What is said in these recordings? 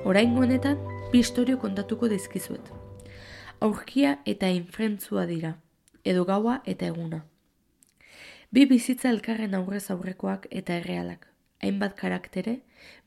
Oraingo honetan, bi istorio kontatuko dizkizuet. Aurkia eta infrentzua dira, edo gaua eta eguna. Bi bizitza elkarren aurrez aurrekoak eta errealak, hainbat karaktere,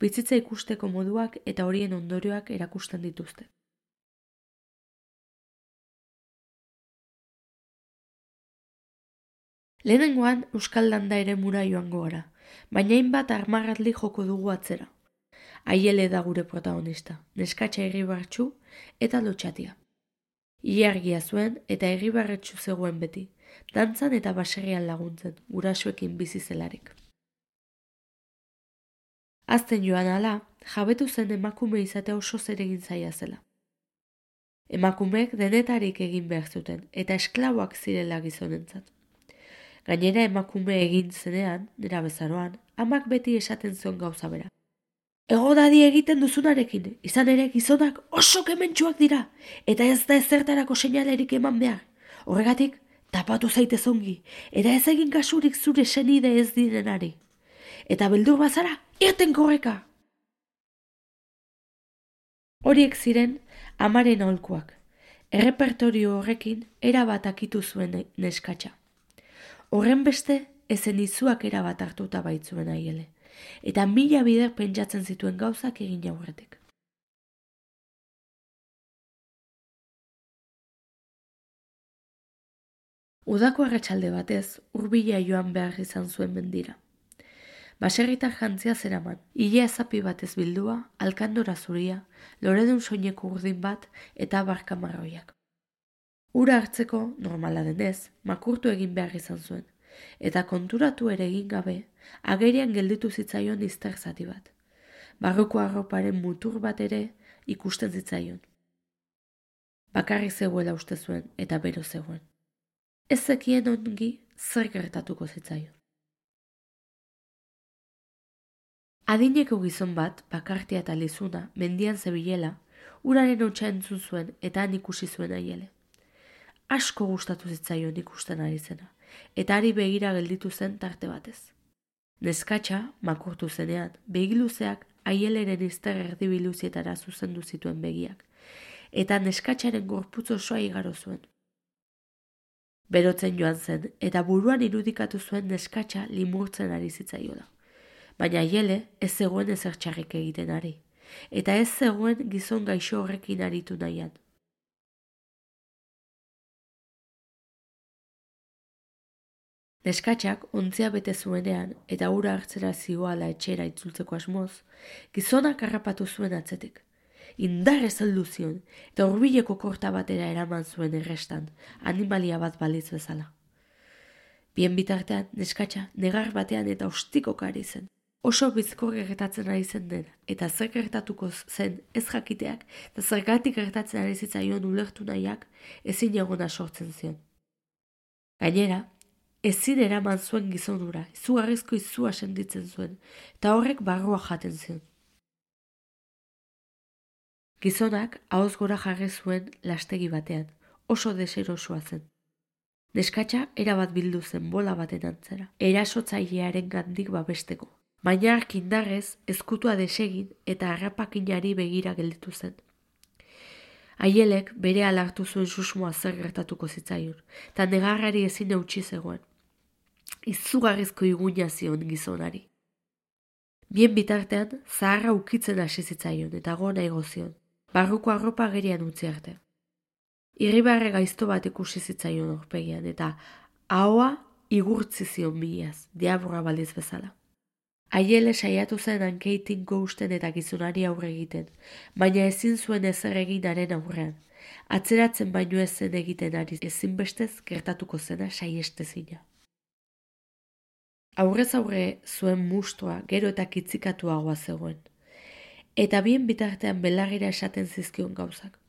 bizitza ikusteko moduak eta horien ondorioak erakusten dituzte. Lehenengoan Euskal Landa eremura joango gara, baina hainbat armarratli joko dugu atzera. Aiele da gure protagonista, neskatxa irribartsu eta lotxatia. Ilargia zuen eta irribarretsu zegoen beti, dantzan eta baserrian laguntzen, gurasoekin bizi zelarik. Azten joan ala, jabetu zen emakume izatea oso zeregin zaila zela. Emakumeek denetarik egin behar zuten eta esklaboak zirela gizonentzat. Gainera emakume egin zenean, nera bezaroan, amak beti esaten zuen gauza bera. Ego dadi egiten duzunarekin, izan ere gizonak oso kementsuak dira, eta ez da ezertarako seinalerik eman behar. Horregatik, tapatu zaitez ongi, eta ez egin kasurik zure senide ez direnari. Eta beldur bazara, irten korreka! Horiek ziren amaren aholkuak. Errepertorio horrekin erabat akitu zuen neskatxa. Horren beste, ezen izuak erabat hartuta baitzuen aiele, eta mila bider pentsatzen zituen gauzak egin aurretik. Udako arratsalde batez, hurbila joan behar izan zuen mendira. Baserritar jantzia zeraman, ilea zapi batez bildua, alkandora zuria, loredun soineko urdin bat eta barka marroiak. Ura hartzeko, normala denez, makurtu egin behar izan zuen, eta konturatu ere egin gabe, agerian gelditu zitzaion izter zati bat. Barruko arroparen mutur bat ere ikusten zitzaion. Bakarrik zegoela uste zuen eta bero zegoen. Ez zekien ongi zer gertatuko zitzaion. Adineko gizon bat, bakartia eta lizuna, mendian zebilela, uraren hotsa entzun zuen eta han ikusi zuen aiele. Asko gustatu zitzaion ikusten ari zena, eta ari begira gelditu zen tarte batez. Neskatxa, makurtu zenean, begiluzeak aieleren izter erdibiluzietara zuzendu zituen begiak, eta neskatxaren gorputz osoa igaro zuen. Berotzen joan zen, eta buruan irudikatu zuen neskatxa limurtzen ari zitzaiola. Baina aiele ez zegoen ezer txarrik egiten ari, eta ez zegoen gizon gaixo horrekin aritu nahian. Neskatxak ontzia bete zuenean eta ura hartzera zioala etxera itzultzeko asmoz, gizonak harrapatu zuen atzetik. Indarrez heldu zion eta hurbileko korta batera eraman zuen errestan, animalia bat balitz bezala. Bien bitartean, neskatxa negar batean eta ostikoka ari zen. Oso bizkor gertatzen ari zen dena, eta zer gertatuko zen ez jakiteak eta zergatik gertatzen ari zitzaion ulertu nahiak ezin egona sortzen zion. Gainera, ezin eraman zuen gizonura, izugarrizko izua sentitzen zuen, eta horrek barrua jaten zion. Gizonak ahoz gora jarri zuen lastegi batean, oso deserosua zen. Neskatxa erabat bildu zen bola baten antzera, erasotzailearen gandik babesteko. Baina arkindarrez ezkutua desegin eta harrapakinari begira gelditu zen. Aielek bere alartu zuen susmoa zer gertatuko zitzaion, eta negarrari ezin eutsi zegoen. Izugarrizko iguina zion gizonari. Bien bitartean, zaharra ukitzen hasi zitzaion eta gona egozion, barruko arropa agerian utzi arte. Irribarre gaizto bat ikusi zitzaion aurpegian eta ahoa igurtzi zion bilaz, diabura baliz bezala. Aiele saiatu zen hankeitin gousten eta gizonari aurre egiten, baina ezin zuen ezer eginaren aurrean. Atzeratzen baino ez zen egiten ari ezinbestez gertatuko zena saiestezina. Aurrez aurre zuen mustua gero eta kitzikatuagoa zegoen, eta bien bitartean belargira esaten zizkion gauzak.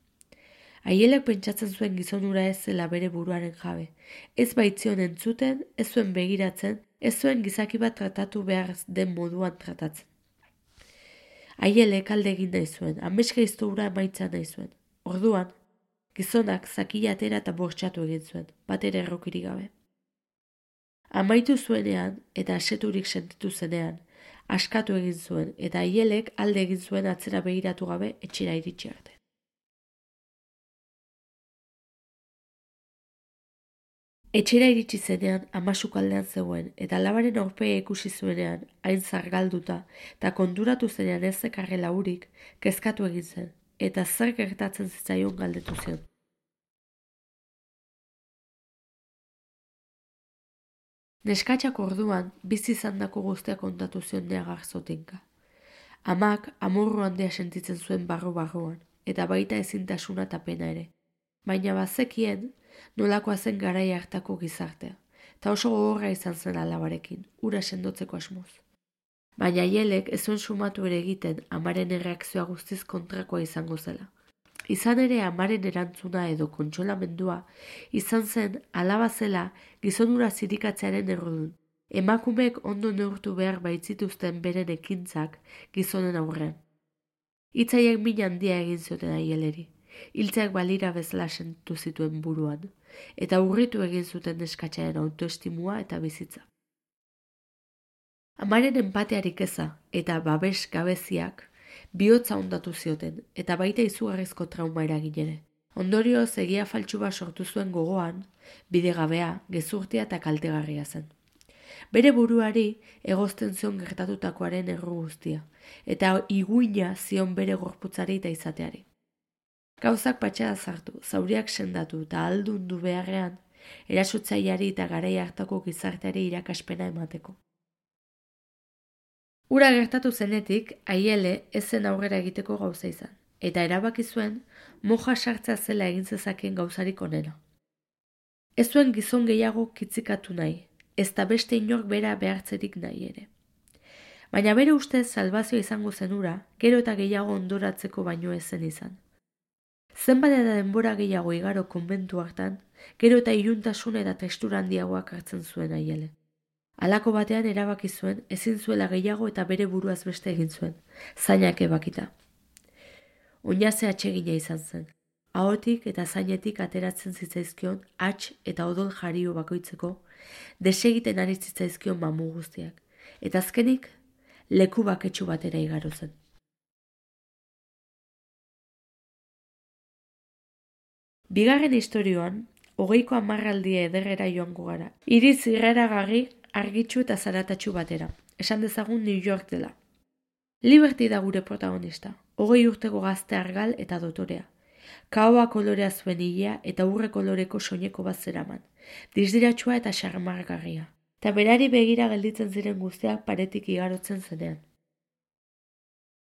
Aielek pentsatzen zuen gizonura ez zela bere buruaren jabe, ez baitzion entzuten, ez zuen begiratzen, ez zuen gizaki bat tratatu behar den moduan tratatzen. Aielek alde egin nahi zuen, ameska iztoura emaitza nahi zuen. Orduan, gizonak zakila atera eta bortxatu egin zuen, bat ere errokirik gabe. Amaitu zuenean eta aseturik sentitu zenean, askatu egin zuen, eta Aielek alde egin zuen atzera begiratu gabe etxera iritsi arte. Etxera iritsi zenean ama sukaldean zegoen, eta alabaren aurpegia ikusi zuenean, hain zargalduta, eta konturatu zenean ez zekarrela urik, kezkatu egin zen, eta zer gertatzen zitzaion galdetu zion. Neskatxak orduan, bizi izandako guztia kontatu zion Nea Garzotinka. Amak amorru handia sentitzen zuen barru-barruan, eta baita ezintasuna eta pena ere. Baina bazekien, nolakoa zen garai hartako gizartea, eta oso gogorra izan zen alabarekin, ura sendotzeko asmoz. Baina Aielek ez zuen sumatu ere egiten amaren erreakzioa guztiz kontrakoa izango zela. Izan ere amaren erantzuna edo kontsolamendua izan zen alaba zela gizonura zirikatzearen errudun. Emakumeek ondo neurtu behar baitzituzten beren ekintzak gizonen aurrean. Hitzaiek min handia egin zioten Aielleri. Hiltzeak balira bezala sentitu zituen buruan, eta urritu egin zuten neskatxaren autoestimua eta bizitza. Amaren empatearik eza eta babes gabeziak bihotza ondatu zioten, eta baita izugarrizko trauma eragin ere. Ondorioz egia faltsu bat sortu zuen gogoan, bidegabea, gezurtia eta kaltegarria zen. Bere buruari egozten zion gertatutakoaren erru guztia, eta iguina zion bere gorputzari eta izateari. Gauzak patxada zartu, zauriak sendatu eta aldundu beharrean, erasotzaileari eta garai hartako gizarteari irakaspena emateko. Ura gertatu zenetik, Aiele ez zen aurrera egiteko gauza izan, eta erabaki zuen moja sartzea zela egin zezakeen gauzarik onena. Ez zuen gizon gehiago kitzikatu nahi, ez da beste inork bera behartzerik nahi ere. Baina bere ustez salbazioa izango zen ura, gero eta gehiago ondoratzeko baino ez zen izan. Zenbat eta denbora gehiago igaro konbentu hartan, gero eta iluntasun eta testura handiagoak hartzen zuen Aiele. Halako batean erabaki zuen, ezin zuela gehiago eta bere buruaz beste egin zuen, zainak ebakita. Oinaze atsegina izan zen, ahotik eta zainetik ateratzen zitzaizkion hats eta odol jario bakoitzeko, desegiten ari zitzaizkion mamu guztiak, eta azkenik leku baketsu batera igaro zen. Bigarren istorioan, 20ko hamarraldia ederrera joango gara. Hiri zirraragarri, argitsu eta zaratatsu batera. Esan dezagun New York dela. Liberty da gure protagonista. 20 urteko gazte argal eta dotorea. Kaoa kolorea zuen ilea eta urre koloreko soineko bat zeraman. Dizdiratsua eta xarmargarria. Eta berari begira gelditzen ziren guztiak paretik igarotzen zenean.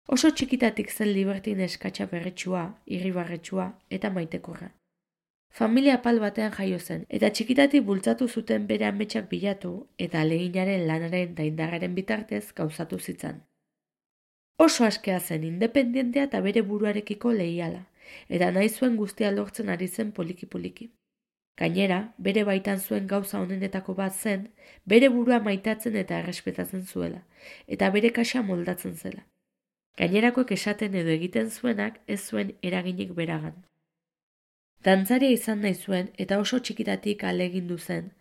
Oso txikitatik zen Liberty neskatxa berretsua, irribarretsua eta maitekorra. Familia apal batean jaio zen, eta txikitatik bultzatu zuten bere ametsak bilatu eta aleginaren lanaren eta indarraren bitartez gauzatu zitzan. Oso askea zen independentea eta bere buruarekiko leiala, eta nahi zuen guztia lortzen ari zen poliki-poliki. Gainera, bere baitan zuen gauza honenetako bat zen, bere burua maitatzen eta errespetatzen zuela, eta bere kaxa moldatzen zela. Gainerakoek esaten edo egiten zuenak ez zuen eraginik beragan. Dantzaria izan nahi zuen eta oso txikitatik ahalegindu zen,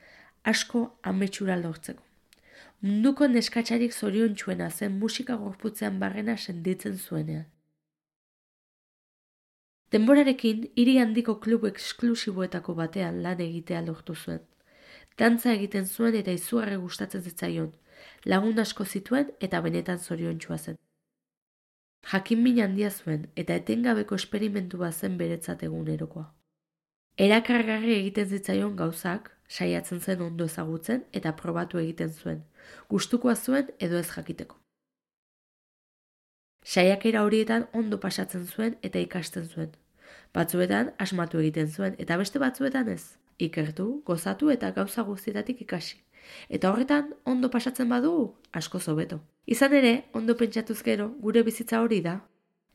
asko ametsura lortzeko. Munduko neskatxarik zoriontsuena zen musika gorputzean barrena sentitzen zuenean. Denborarekin, hiri handiko klub eksklusiboetako batean lan egitea lortu zuen. Dantza egiten zuen eta izugarri gustatzen zitzaion, lagun asko zituen eta benetan zoriontsua zen. Jakinmin handia zuen eta etengabeko esperimentu bat zen beretzat egunerokoa. Erakargarri egiten zitzaion gauzak, saiatzen zen ondo ezagutzen eta probatu egiten zuen, gustukoa zuen edo ez jakiteko. Saiakera horietan ondo pasatzen zuen eta ikasten zuen. Batzuetan asmatu egiten zuen eta beste batzuetan ez. Ikertu, gozatu eta gauza guztietatik ikasi. Eta horretan ondo pasatzen badugu, asko hobeto. Izan ere, ondo pentsatuz gero, gure bizitza hori da.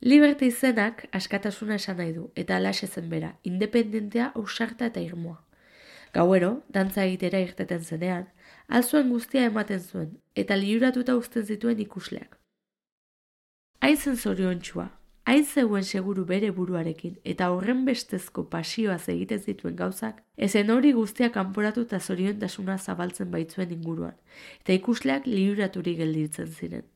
Liberty izenak askatasuna esan nahi du, eta alaxe zen bera, independentea, ausarta eta irmoa. Gauero, dantza egitera irteten zenean, alzuen guztia ematen zuen, eta liuratuta uzten zituen ikusleak. Hain zen zoriontsua, hain zegoen seguru bere buruarekin, eta horren bestezko pasioaz egiten zituen gauzak, ezen hori guztia kanporatu eta zoriontasuna zabaltzen baitzuen inguruan, eta ikusleak liuraturik gelditzen ziren.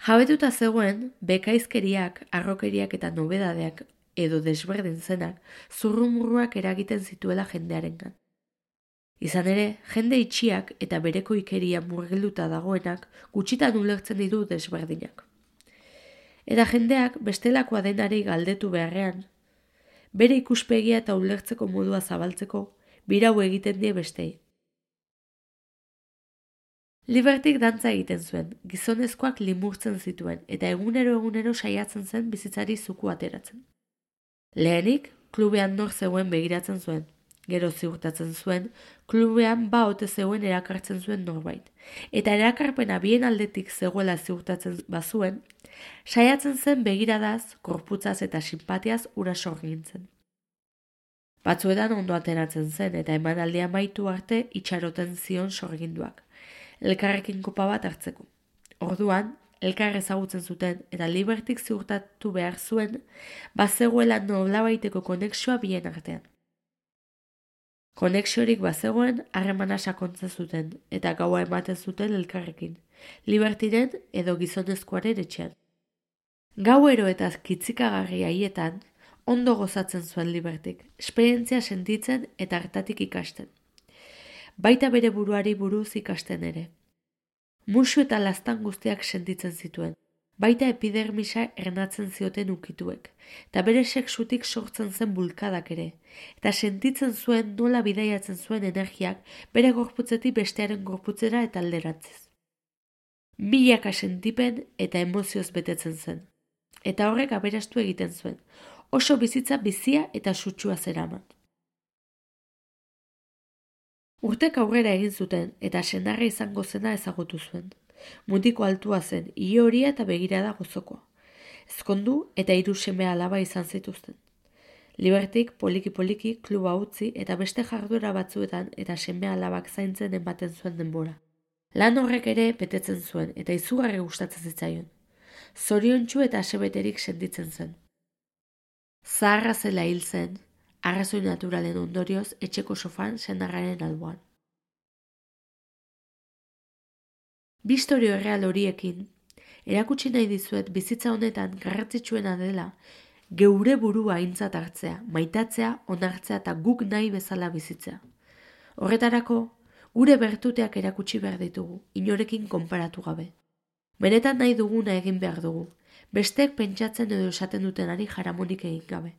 Jabetuta zegoen, bekaizkeriak, arrokeriak eta nobedadeak edo desberdin zenak zurrumurruak eragiten zituela jendearengan. Izan ere, jende itxiak eta bereko ikeria murgilduta dagoenak gutxitan ulertzen ditu desberdinak. Eta jendeak bestelakoa denari galdetu beharrean, bere ikuspegia eta ulertzeko modua zabaltzeko, birau egiten die bestei. Libertyk dantza egiten zuen, gizonezkoak limurtzen zituen eta egunero saiatzen zen bizitzari zuku ateratzen. Lehenik, klubean nor zegoen begiratzen zuen. Gero ziurtatzen zuen, klubean ote zegoen erakartzen zuen norbait. Eta erakarpena bien aldetik zegoela ziurtatzen bazuen, saiatzen zen begiradaz, korputzaz eta sinpatiaz ura sorgintzen. Batzuetan ondo ateratzen zen eta emanaldia amaitu arte itxaroten zion sorginduak, elkarrekin kopa bat hartzeko. Orduan, elkar ezagutzen zuten eta Libertyk ziurtatu behar zuen, bazegoela nolabaiteko konexioa bien artean. Konexiorik bazegoen, harremana sakontzen zuten eta gaua ematen zuten elkarrekin, Libertyren edo gizonezkoaren etxean. Gauero eta kitzikagarri haietan, ondo gozatzen zuen Libertyk, esperientzia sentitzen eta hartatik ikasten. Baita bere buruari buruz ikasten ere. Musu eta laztan guztiak sentitzen zituen, baita epidermisa ernatzen zioten ukituek, eta bere sexutik sortzen zen bulkadak ere, eta sentitzen zuen nola bidaiatzen zuen energiak bere gorputzetik bestearen gorputzera eta alderantziz. Milaka sentipen eta emozioz betetzen zen, eta horrek aberastu egiten zuen, oso bizitza bizia eta sutsua zeraman. Urtek aurrera egin zuten eta senarra izango zena ezagutu zuen. Mutiko altua zen, ile horia eta begirada gozokoa. Ezkondu eta 3 seme alaba izan zituzten. Libertyk poliki-poliki kluba utzi eta beste jarduera batzuetan eta seme alabak zaintzen ematen zuen denbora. Lan horrek ere betetzen zuen eta izugarri gustatzen zitzaion. Zoriontsu eta asebeterik sentitzen zen. Zaharra zela hil zen, arrazoi naturalen ondorioz etxeko sofan senarraren alboan. Bi istorio erreal horiekin, erakutsi nahi dizuet bizitza honetan garrantzitsuena dela geure burua aintzat hartzea, maitatzea, onartzea eta guk nahi bezala bizitzea. Horretarako, gure bertuteak erakutsi behar ditugu, inorekin konparatu gabe. Benetan nahi duguna egin behar dugu, besteek pentsatzen edo esaten dutenari jaramonik egin gabe.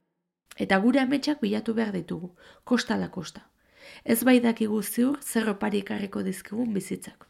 Eta gure ametsak bilatu behar ditugu, kosta ala kosta. Ez bai dakigu ziur zer opari ekarriko dizkigun bizitzak.